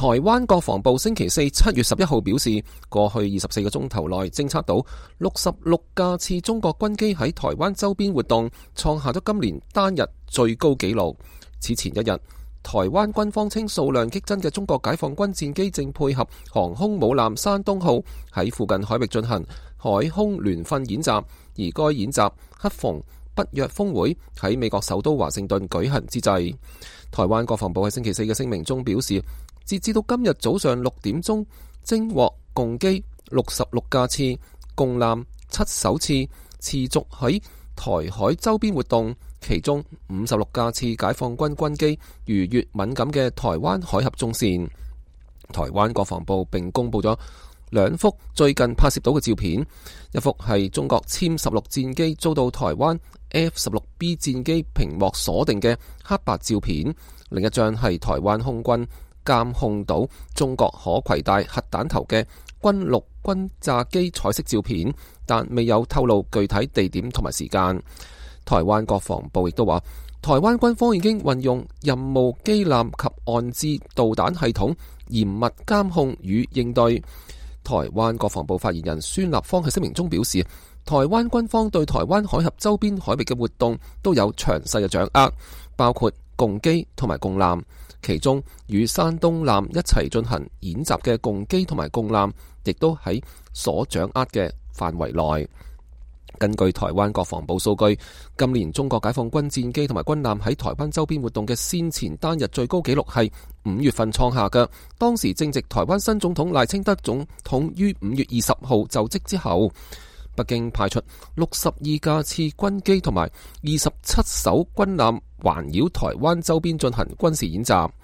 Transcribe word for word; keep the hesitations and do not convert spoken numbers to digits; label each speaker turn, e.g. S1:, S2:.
S1: 台灣國防部星期四七月十一號表示，過去二十四個鐘頭內偵測到六十六架次中國軍機喺台灣周邊活動，創下咗今年單日最高紀錄。此前一日，台灣軍方稱數量激增嘅中國解放軍戰機正配合航空母艦山東號喺附近海域進行海空聯訓演習，而該演習恰逢北約峰會喺美國首都華盛頓舉行之際。台灣國防部喺星期四嘅聲明中表示，截至到今日早上六點鐘，偵獲共機六十六架次，共艦七艘次，持續喺台海周邊活動，其中五十六架次解放軍軍機逾越敏感嘅台灣海峽中線。台灣國防部並公布咗兩幅最近拍攝到嘅照片，一幅係中國殲十六戰機遭到台灣 F 十六 B 戰機屏幕鎖定嘅黑白照片，另一張係台灣空軍監控到中國可攜帶核彈頭嘅軍陸轟炸機彩色照片，但未有透露具體地點同埋時間。台灣國防部亦都話，台灣軍方已經運用任務機艦及岸置導彈系統嚴密監控與應對。台灣國防部發言人孫立方喺聲明中表示，台灣軍方對台灣海峽周邊海域嘅活動都有詳細嘅掌握，包括共機同埋共艦。其中與山東艦一齊進行演習嘅共機同埋共艦，亦都喺所掌握嘅範圍內。根據台灣國防部數據，今年中國解放軍戰機同埋軍艦喺台灣周邊活動嘅先前單日最高紀錄係五月份創下嘅，當時正值台灣新總統賴清德總統於五月二十號就職之後。北京派出六十二架次軍機同埋二十七艘軍艦環繞台灣周邊進行軍事演習。